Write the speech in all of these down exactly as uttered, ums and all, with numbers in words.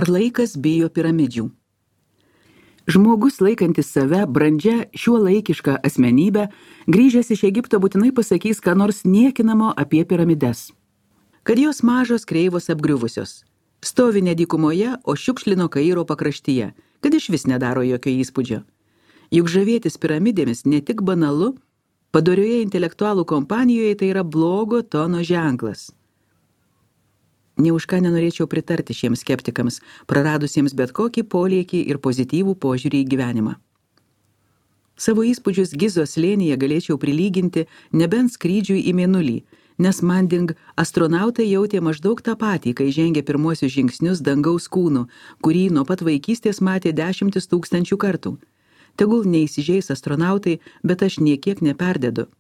Ar laikas bijo piramidžių? Žmogus laikantis save brandžia šiuo laikišką asmenybę, grįžęs iš Egipto būtinai pasakys, ką nors niekinamo apie piramides. Kad jos mažos, kreivos, apgriuvusios. Stovi ne dykumoje, o šiukšlino Kairo pakraštyje, kad iš vis nedaro jokio įspūdžio. Juk žavėtis piramidėmis ne tik banalu, padorioje intelektualų kompanijoje tai yra blogo tono ženklas. Nė už ką nenorėčiau pritarti šiems skeptikams, praradusiems bet kokį polėkį ir pozityvų požiūrį į gyvenimą. Savo įspūdžius Gizos slėnyje galėčiau prilyginti nebent skrydžiui į mėnulį, nes Manding astronautai jautė maždaug tą patį, kai žengė pirmuosius žingsnius dangaus kūnu, kurį nuo pat vaikystės matė dešimtis tūkstančių kartų. Tegul neįsižeis astronautai, bet aš niekiek neperdedu.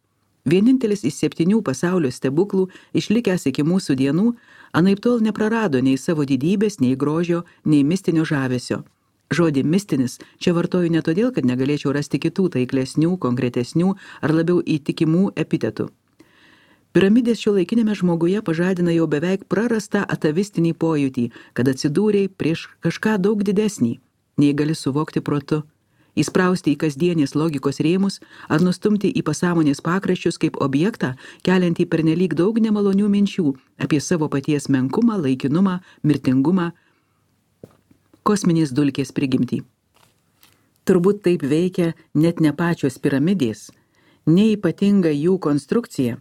Vienintelis iš septynių pasaulio stebuklų, išlikęs iki mūsų dienų, anaiptol neprarado nei savo didybės, nei grožio, nei mistinio žavesio. Žodį mistinis čia vartoju ne todėl, kad negalėčiau rasti kitų taiklesnių, konkretesnių ar labiau įtikimų epitetų. Piramidės šiuolaikinėme žmoguje pažadina jau beveik prarastą atavistinį pojūtį, kad atsidūrei prieš kažką daug didesnį, nei gali suvokti protu. Įsprausti į kasdienės logikos rėmus ar nustumti į pasąmonės pakraščius kaip objektą, keliantį pernelyg daug nemalonių minčių apie savo paties menkumą, laikinumą, mirtingumą, kosminės dulkės prigimtį. Turbūt taip veikia net ne pačios piramidės, ne ypatinga jų konstrukcija,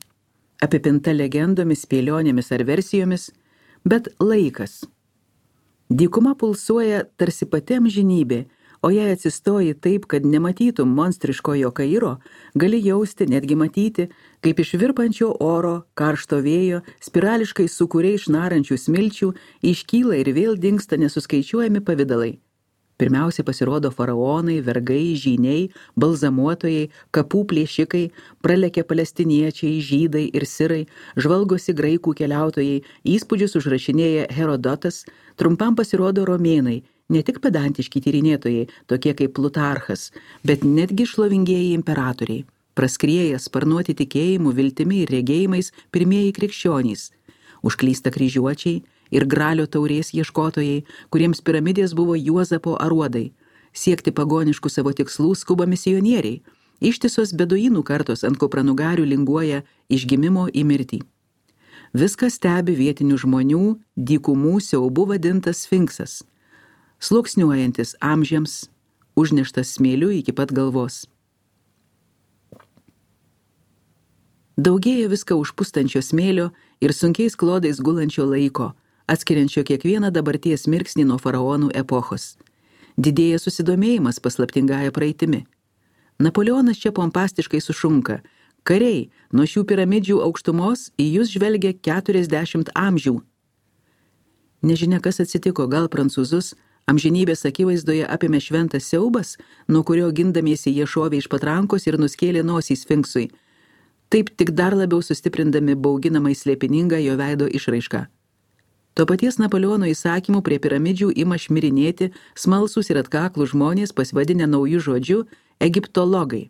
apipinta legendomis, spėlionėmis ar versijomis, bet laikas. Dykuma pulsuoja tarsi pati amžinybė, o jei atsistoji taip, kad nematytum monstriškojo Kairo, gali jausti, netgi matyti, kaip iš virpančio oro, karšto vėjo, spirališkai sukūriai išnarančių smilčių, iškyla ir vėl dingsta nesuskaičiuojami pavidalai. Pirmiausia pasirodo faraonai, vergai, žyniai, balzamuotojai, kapų plėšikai, pralekia palestiniečiai, žydai ir sirai, žvalgosi graikų keliautojai, įspūdžius užrašinėja Herodotas, trumpam pasirodo romėnai, ne tik pedantiški tyrinėtojai, tokie kaip Plutarchas, bet netgi šlovingieji imperatoriai, praskrieja sparnuoti tikėjimu, viltimi ir regėjimais pirmieji krikščionys, užklysta kryžiuočiai ir gralio taurės ieškotojai, kuriems piramidės buvo Juozapo aruodai, siekti pagoniškų savo tikslų skuba misionieriai, ištisos beduinų kartos ant kupranugarių linguoja iš gimimo į mirtį. Viską stebi vietinių žmonių, dykumų siaubu vadintas sfinksas, sluoksniuojantis amžiams, užneštas smėliu iki pat galvos. Daugėja viską užpustančio smėlio ir sunkiais klodais gulančio laiko, atskiriančio kiekvieną dabarties mirksnį nuo faraonų epochos. Didėja susidomėjimas paslaptingąja praeitimi. Napoleonas čia pompastiškai sušunka: kariai, nuo šių piramidžių aukštumos į jūs žvelgia keturiasdešimt amžių. Nežinia, kas atsitiko, gal prancūzus amžinybės akivaizdoje apėmė šventas siaubas, nuo kurio gindamiesi jie šovė iš patrankos ir nuskėlė nosį sfinksui, taip tik dar labiau sustiprindami bauginamai slėpiningą jo veido išraišką. To paties Napoleono įsakymų prie piramidžių ima šmirinėti smalsūs ir atkaklų žmonės pasivadinę naujų žodžių egiptologai.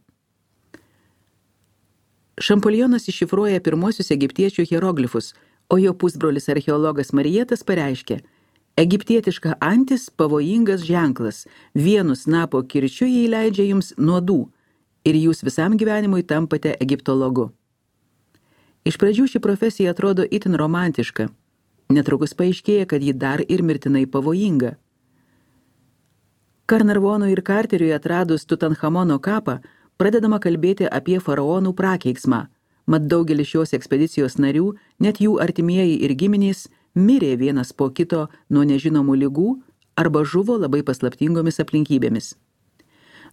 Šampolionas iššifruoja pirmosius egiptiečių hieroglifus, o jo pusbrolis archeologas Marietas pareiškė: egiptietiška antis pavojingas ženklas, vienu snapo kirčiu jį leidžia jums nuodų ir jūs visam gyvenimui tampate egiptologu. Iš pradžių ši profesija atrodo itin romantiška, netrukus paaiškėja, kad ji dar ir mirtinai pavojinga. Karnarvonui ir Karteriui atradus Tutanchamono kapą, pradedama kalbėti apie faraonų prakeiksmą, mat daugelis šios ekspedicijos narių, net jų artimieji ir giminės, mirė vienas po kito nuo nežinomų ligų arba žuvo labai paslaptingomis aplinkybėmis.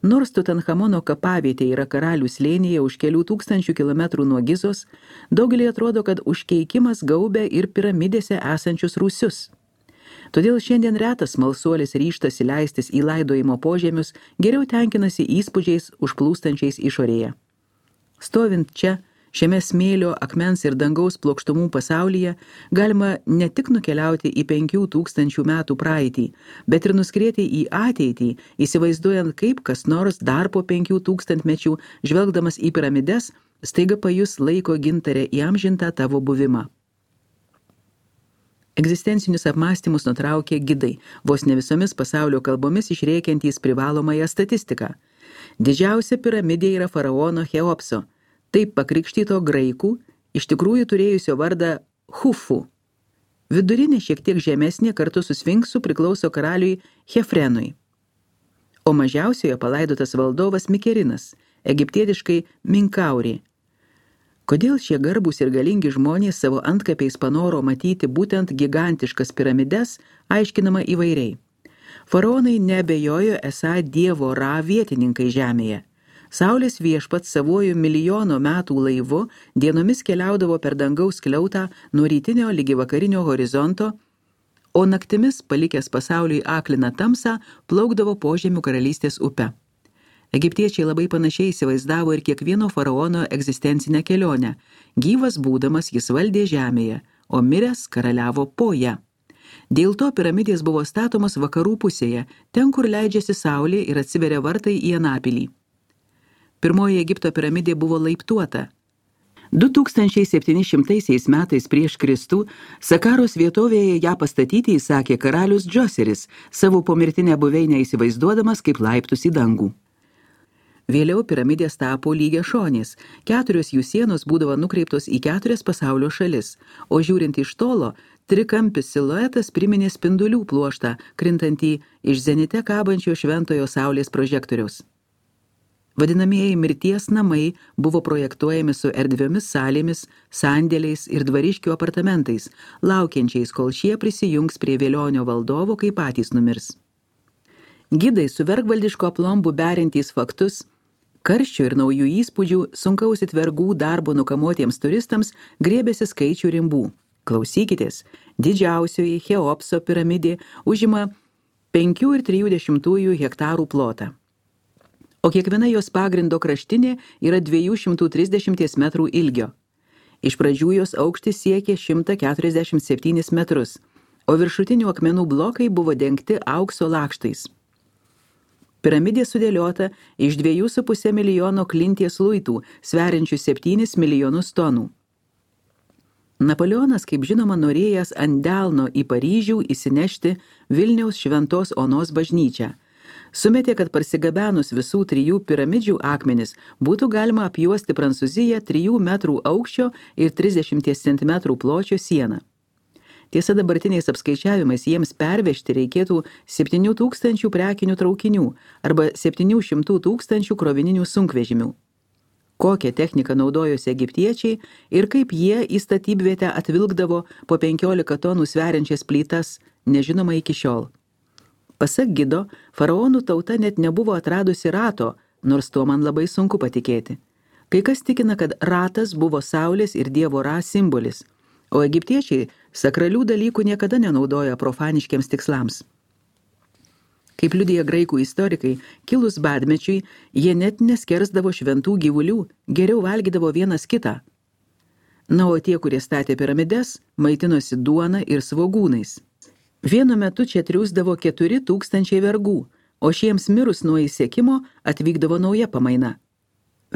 Nors Tutanchamono kapavietė yra karalių slėnyje už kelių tūkstančių kilometrų nuo Gizos, daugelį atrodo, kad užkeikimas gaubia ir piramidėse esančius rūsius. Todėl šiandien retas smalsuolis ryžtasi leistis į laidojimo požemius, geriau tenkinasi įspūdžiais užplūstančiais išorėje. Stovint čia, šiame smėlio, akmens ir dangaus plokštumų pasaulyje, galima ne tik nukeliauti į penkių tūkstančių metų praeitį, bet ir nuskrieti į ateitį, įsivaizduojant, kaip kas nors dar po penkių tūkstantmečių, žvelgdamas į piramides, staiga pajus laiko gintarę įamžintą tavo buvimą. Egzistencinius apmąstymus nutraukė gidai, vos ne visomis pasaulio kalbomis išrėkiantys privalomąją statistiką. Didžiausia piramidė yra faraono Cheopso, taip pakrikštyto graikų, iš tikrųjų turėjusio vardą Hufu. Vidurinė šiek tiek žemesnė kartu su Sfinksu priklauso karaliui Chefrenui. O mažiausioje palaidotas valdovas Mikerinas, egiptietiškai Minkauri. Kodėl šie garbūs ir galingi žmonės savo antkapiais panoro matyti būtent gigantiškas piramides, aiškinama įvairiai. Faraonai neabejojo esą dievo Ra vietininkai žemėje. Saulės viešpats savuoju milijono metų laivu dienomis keliaudavo per dangaus skliautą nuo rytinio ligi vakarinio horizonto, o naktimis, palikęs pasauliui akliną tamsą, plaukdavo požemių karalystės upe. Egiptiečiai labai panašiai įsivaizdavo ir kiekvieno faraono egzistencinę kelionę. Gyvas būdamas jis valdė žemėje, o miręs karaliavo po ją. Dėl to piramidės buvo statomos vakarų pusėje, ten, kur leidžiasi saulė ir atsiveria vartai į Anapilį. Pirmoji Egipto piramidė buvo laiptuota. du tūkstančiai septynišimtaisiais metais prieš Kristų Sakaros vietovėje ją pastatyti įsakė karalius Džoseris, savo pomirtinę buveinę įsivaizduodamas kaip laiptus į dangų. Vėliau piramidės tapo lygiašonės, keturios jų sienos būdavo nukreiptos į keturias pasaulio šalis, o žiūrint iš tolo, trikampis siluetas priminė spindulių pluoštą, krintantį iš zenite kabančio šventojo saulės prožektoriaus. Vadinamieji mirties namai buvo projektuojami su erdviomis salėmis, sandėliais ir dvariškių apartamentais, laukiančiais, kol šie prisijungs prie Vėlionio valdovo, kai patys numirs. Gidai su vergvaldiško aplombu berintys faktus, karščio ir naujų įspūdžių, sunkaus vergų darbo nukamuotiems turistams griebėsi skaičių rimbų. Klausykitės, didžiausioji Cheopso piramidė užima penkių ir trijų dešimtųjų hektarų plotą, o kiekviena jos pagrindo kraštinė yra dviejų šimtų trisdešimties metrų ilgio. Iš pradžių jos aukštis siekė šimtą keturiasdešimt septynis metrus, o viršutinių akmenų blokai buvo dengti aukso lakštais. Piramidė sudėliota iš dviejų su pusė milijono klinties luitų, sveriančių septynis milijonus tonų. Napoleonas, kaip žinoma, norėjęs ant delno į Paryžių įsinešti Vilniaus Šventos Onos bažnyčią. Sumetė, kad parsigabenus visų trijų piramidžių akmenis būtų galima apjuosti Prancūziją trijų metrų aukščio ir trisdešimties centimetrų pločio sieną. Tiesa, dabartiniais apskaičiavimais jiems pervežti reikėtų septynių tūkstančių prekinių traukinių arba septynių šimtų tūkstančių krovininių sunkvežimių. Kokią techniką naudojosi egiptiečiai ir kaip jie į statybvietę atvilkdavo po penkiolika tonų sveriančias plytas, nežinoma iki šiol. Pasak gido, faraonų tauta net nebuvo atradusi rato, nors tuo man labai sunku patikėti. Kai kas tikina, kad ratas buvo saulės ir dievo Ra simbolis, o egiptiečiai sakralių dalykų niekada nenaudoja profaniškiams tikslams. Kaip liudija graikų istorikai, kilus badmečiui, jie net neskersdavo šventų gyvulių, geriau valgydavo vienas kitą. Na, o tie, kurie statė piramides, maitinosi duona ir svogūnais. Vienu metu čia triūsdavo keturi tūkstančiai vergų, o šiems mirus nuo įsekimo atvykdavo nauja pamaina.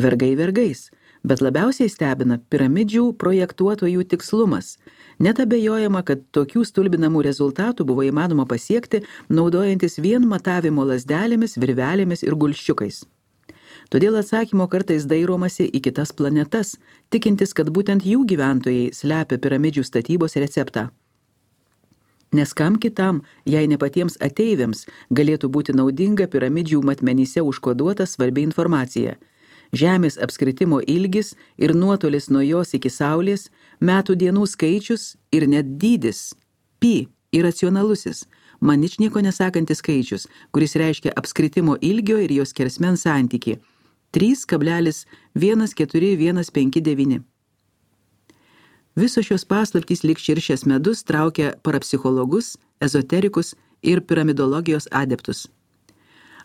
Vergai vergais, bet labiausiai stebina piramidžių projektuotojų tikslumas. Net abejojama, kad tokių stulbinamų rezultatų buvo įmanoma pasiekti, naudojantis vien matavimo lazdelėmis, virvelėmis ir gulščiukais. Todėl atsakymo kartais dairomasi į kitas planetas, tikintis, kad būtent jų gyventojai slepia piramidžių statybos receptą. Nes kam kitam, jei ne patiems ateiviams, galėtų būti naudinga piramidžių matmenyse užkoduota svarbi informacija. Žemės apskritimo ilgis ir nuotolis nuo jos iki saulės, metų dienų skaičius ir net dydis. Pi, iracionalusis, man ničnieko nesakantis skaičius, kuris reiškia apskritimo ilgio ir jos skersmens santykį. trys kablelis vienas keturi vienas penki devyni. Visos šios paslaptys lyg širšės medus traukia parapsichologus, ezoterikus ir piramidologijos adeptus.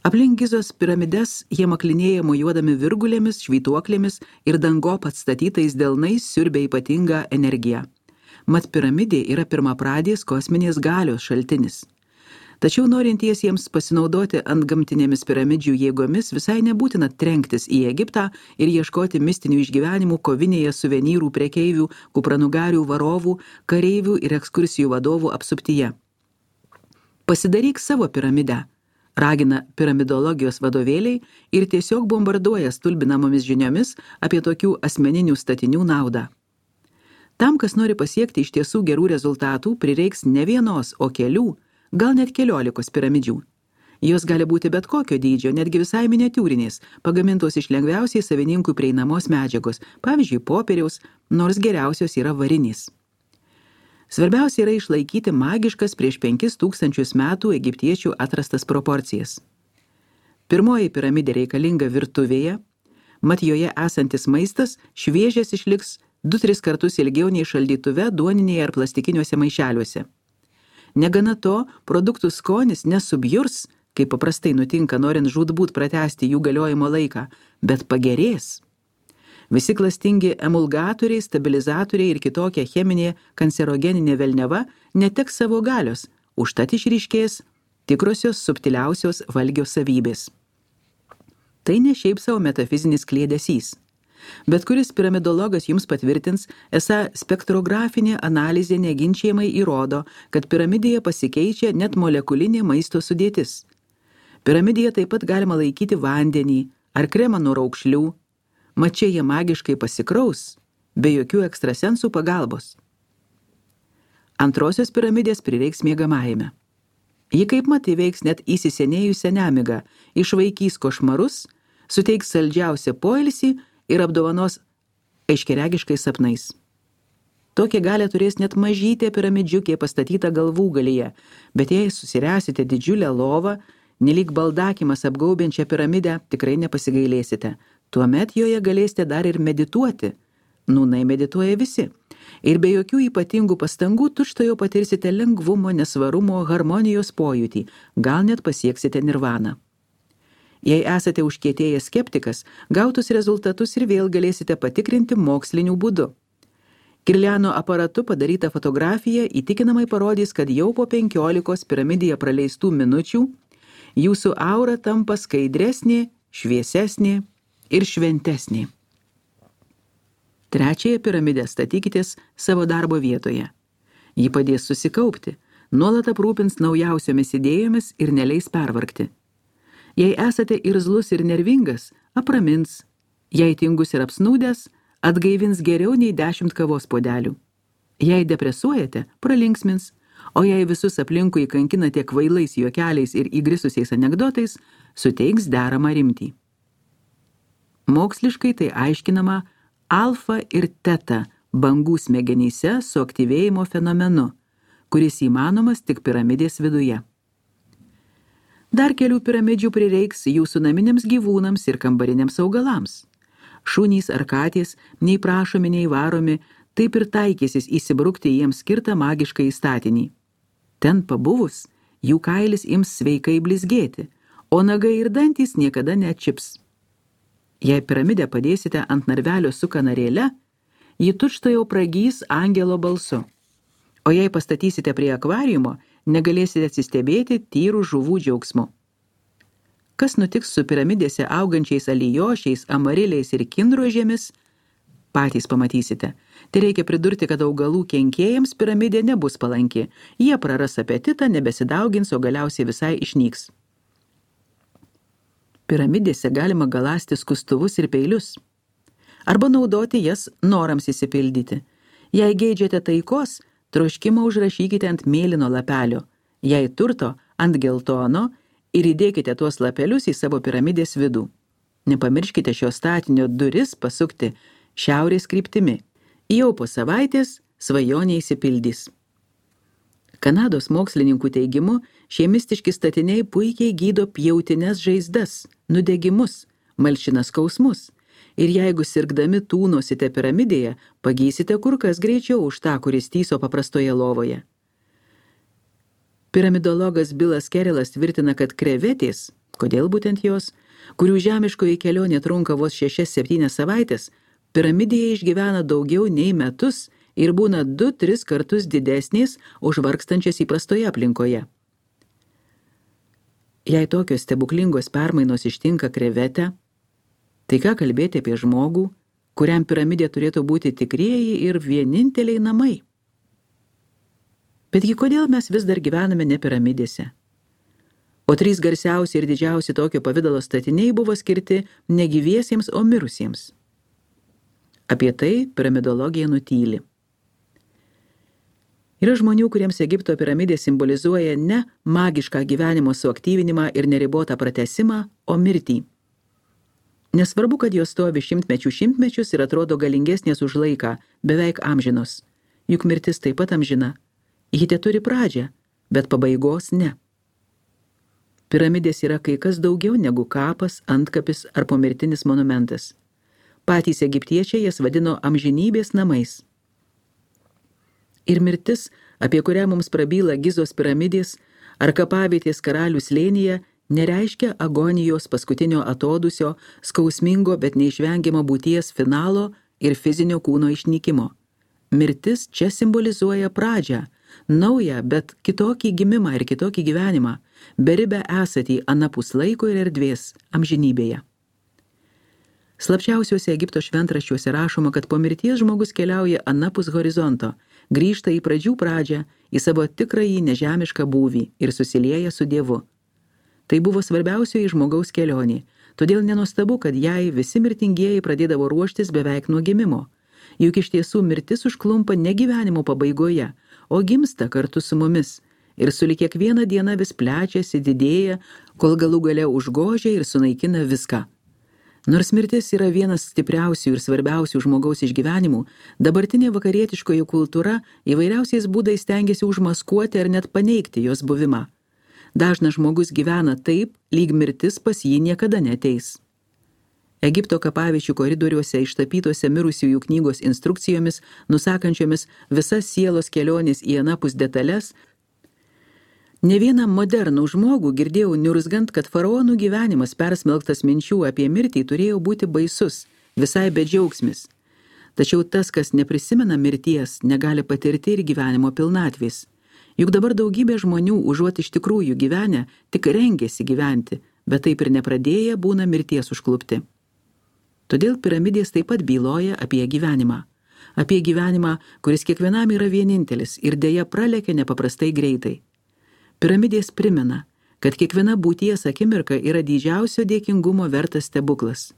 Aplink Gizos piramides jie maklinėja mojuodami virgulėmis, švytuoklėmis ir dangop atstatytais delnais siurbia ypatingą energiją. Mat piramidė yra pirmapradės kosminės galios šaltinis. Tačiau norintiesiems pasinaudoti antgamtinėmis piramidžių jėgomis visai nebūtina trenktis į Egiptą ir ieškoti mistinių išgyvenimų kovinėje suvenyrų prekeivių, kupranugarių varovų, kareivių ir ekskursijų vadovų apsuptyje. Pasidaryk savo piramidę, ragina piramidologijos vadovėliai ir tiesiog bombarduoja stulbinamomis žiniomis apie tokių asmeninių statinių naudą. Tam, kas nori pasiekti iš tiesų gerų rezultatų, prireiks ne vienos, o kelių, gal net keliolikos piramidžių. Jos gali būti bet kokio dydžio, netgi visai miniatiūrinės, pagamintos iš lengviausiai savininkų prieinamos medžiagos, pavyzdžiui, popieriaus, nors geriausios yra varinės. Svarbiausia yra išlaikyti magiškas prieš penkis tūkstančius metų egiptiečių atrastas proporcijas. Pirmoji piramidė reikalinga virtuvėje, mat joje esantis maistas šviežias išliks du tris kartus ilgiau nei šaldytuve, duoninėje ar plastikiniuose maišeliuose. Negana to, produktų skonis nesubjurs, kaip paprastai nutinka norint žūtbūt pratęsti jų galiojimo laiką, bet pagerės. Visi klastingi emulgatoriai, stabilizatoriai ir kitokia cheminė kancerogeninė velneva neteks savo galios, užtat išryškės tikrosios subtiliausios valgio savybės. Tai ne šiaip savo metafizinis kliedesys. Bet kuris piramidologas jums patvirtins, esą spektrografinė analizė neginčiamai įrodo, kad piramidėje pasikeičia net molekulinė maisto sudėtis. Piramidėje taip pat galima laikyti vandenį ar kremą nuo raukšlių, mat čia jie magiškai pasikraus, be jokių ekstrasensų pagalbos. Antrosios piramidės prireiks miegamajame. Ji kaip mat įveiks net įsisenėjusią nemigą, išvaikys košmarus, suteiks saldžiausią poilsį ir apdovanos aiškiaregiškais sapnais. Tokią galę turės net mažytė piramidžiukė pastatyta galvų galyje, bet jei susiręsite didžiulę lovą, nelyg baldakimas apgaubiančią piramidę, tikrai nepasigailėsite. Tuomet joje galėsite dar ir medituoti. Nūnai medituoja visi. Ir be jokių ypatingų pastangų tučtuojau patirsite lengvumo, nesvarumo, harmonijos pojūtį, gal net pasieksite nirvaną. Jei esate užkietėjęs skeptikas, gautus rezultatus ir vėl galėsite patikrinti moksliniu būdu. Kirliano aparatu padaryta fotografija įtikinamai parodys, kad jau po penkiolikos piramidėje praleistų minučių jūsų aura tampa skaidresnė, šviesesnė ir šventesnė. Trečiąją piramidę statykitės savo darbo vietoje. Ji padės susikaupti, nuolat aprūpins naujausiomis idėjomis ir neleis pervargti. Jei esate irzlus ir nervingas, apramins. Jei tingus ir apsnūdęs, atgaivins geriau nei dešimt kavos puodelių. Jei depresuojate, pralinksmins, o jei visus aplinkui kankinate kvailais juokeliais ir įgrisusiais anekdotais, suteiks deramą rimtį. Moksliškai tai aiškinama alfa ir teta bangų smegenyse suaktyvėjimo fenomenu, kuris įmanomas tik piramidės viduje. Dar kelių piramidžių prireiks jūsų naminiams gyvūnams ir kambariniams augalams. Šunys ar katės, nei prašomi, nei varomi, taip ir taikysis įsibrukti jiems skirtą magišką įstatinį. Ten pabuvus, jų kailis ims sveikai blizgėti, o nagai ir dantys niekada neatčips. Jei piramidę padėsite ant narvelio su kanarėle, ji tučtuojau pragys angelo balsu. O jei pastatysite prie akvariumo, negalėsite atsistebėti tyrų žuvų džiaugsmu. Kas nutiks su piramidėse augančiais alijošiais, amariliais ir kinrožėmis, patys pamatysite. Tai reikia pridurti, kad augalų kenkėjams piramidė nebus palanki. Jie praras apetitą, nebesidaugins, o galiausiai visai išnyks. Piramidėse galima galasti skustuvus ir peilius. Arba naudoti jas norams įsipildyti. Jei geidžiate taikos, troškimą užrašykite ant mėlyno lapelio, jei turto ant geltono ir įdėkite tuos lapelius į savo piramidės vidų. Nepamirškite šio statinio duris pasukti šiaurės kryptimi. Jau po savaitės svajonė išsipildys. Kanados mokslininkų teigimu, šie mistiški statiniai puikiai gydo pjautines žaizdas, nudegimus, malšina skausmus. Ir jeigu sirgdami tūnosite piramidėje, pagysite kur kas greičiau už tą, kuris tyso paprastoje lovoje. Piramidologas Bilas Kerilas tvirtina, kad krevetės, kodėl būtent jos, kurių žemiškoji kelionė trunka vos šešias septynias savaitės, piramidėje išgyvena daugiau nei metus ir būna du tris kartus didesnės už vargstančias įprastoje aplinkoje. Jei tokios stebuklingos permainos ištinka krevetę, tai ką kalbėti apie žmogų, kuriam piramidė turėtų būti tikrieji ir vieninteliai namai? Betgi kodėl mes vis dar gyvename ne piramidėse? O trys garsiausi ir didžiausi tokio pavidalo statiniai buvo skirti ne gyviesiems, o mirusiems. Apie tai piramidologija nutyli. Yra žmonių, kuriems Egipto piramidė simbolizuoja ne magišką gyvenimo suaktyvinimą ir neribotą pratesimą, o mirtį. Nesvarbu, kad jos stovi šimtmečių šimtmečius ir atrodo galingesnės už laiką, beveik amžinos. Juk mirtis taip pat amžina. Ji teturi pradžią, bet pabaigos ne. Piramidės yra kai kas daugiau negu kapas, antkapis ar pomirtinis monumentas. Patys egiptiečiai jas vadino amžinybės namais. Ir mirtis, apie kurią mums prabyla Gizos piramidės ar kapavietės karalių slėnyje, nereiškia agonijos paskutinio atodusio, skausmingo, bet neišvengiamo būties finalo ir fizinio kūno išnykimo. Mirtis čia simbolizuoja pradžią, naują, bet kitokį gimimą ir kitokį gyvenimą, beribę esatį anapus laiko ir erdvės, amžinybėje. Slapčiausiuose Egipto šventraščiuose rašoma, kad po mirties žmogus keliauja anapus horizonto, grįžta į pradžių pradžią, į savo tikrąjį nežemišką būvį ir susilieja su Dievu. Tai buvo svarbiausioji žmogaus kelionė, todėl nenuostabu, kad jai visi mirtingieji pradėdavo ruoštis beveik nuo gimimo. Juk iš tiesų mirtis užklumpa ne gyvenimo pabaigoje, o gimsta kartu su mumis ir sulig kiekvieną dieną vis plečiasi, didėja, kol galų gale užgožia ir sunaikina viską. Nors mirtis yra vienas stipriausių ir svarbiausių žmogaus išgyvenimų, dabartinė vakarietiškoji kultūra įvairiausiais būdais stengiasi užmaskuoti ar net paneigti jos buvimą. Dažnas žmogus gyvena taip, lyg mirtis pas jį niekada neateis. Egipto kapaviečių koridoriuose ištapytose mirusiųjų knygos instrukcijomis, nusakančiomis visas sielos kelionės į anapus detalės, ne vieną modernų žmogų girdėjau niurzgant, kad faraonų gyvenimas persmelktas minčių apie mirtį turėjo būti baisus, visai bedžiaugsmis. Tačiau tas, kas neprisimena mirties, negali patirti ir gyvenimo pilnatvės. Juk dabar daugybė žmonių, užuot iš tikrųjų gyvenę, tik rengiasi gyventi, bet taip ir nepradėję būna mirties užklupti. Todėl piramidės taip pat byloja apie gyvenimą. Apie gyvenimą, kuris kiekvienam yra vienintelis ir dėja pralekia nepaprastai greitai. Piramidės primena, kad kiekviena būties akimirka yra didžiausio dėkingumo vertas stebuklas.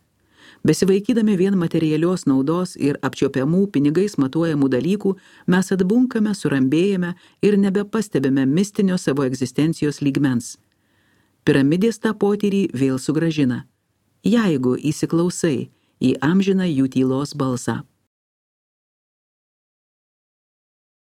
Besivaikydami vien materialios naudos ir apčiopiamų pinigais matuojamų dalykų, mes atbunkame, surambėjame ir nebepastebime mistinio savo egzistencijos lygmens. Piramidės tą potyrį vėl sugrąžina, jeigu įsiklausai į amžiną jų tylos balsą.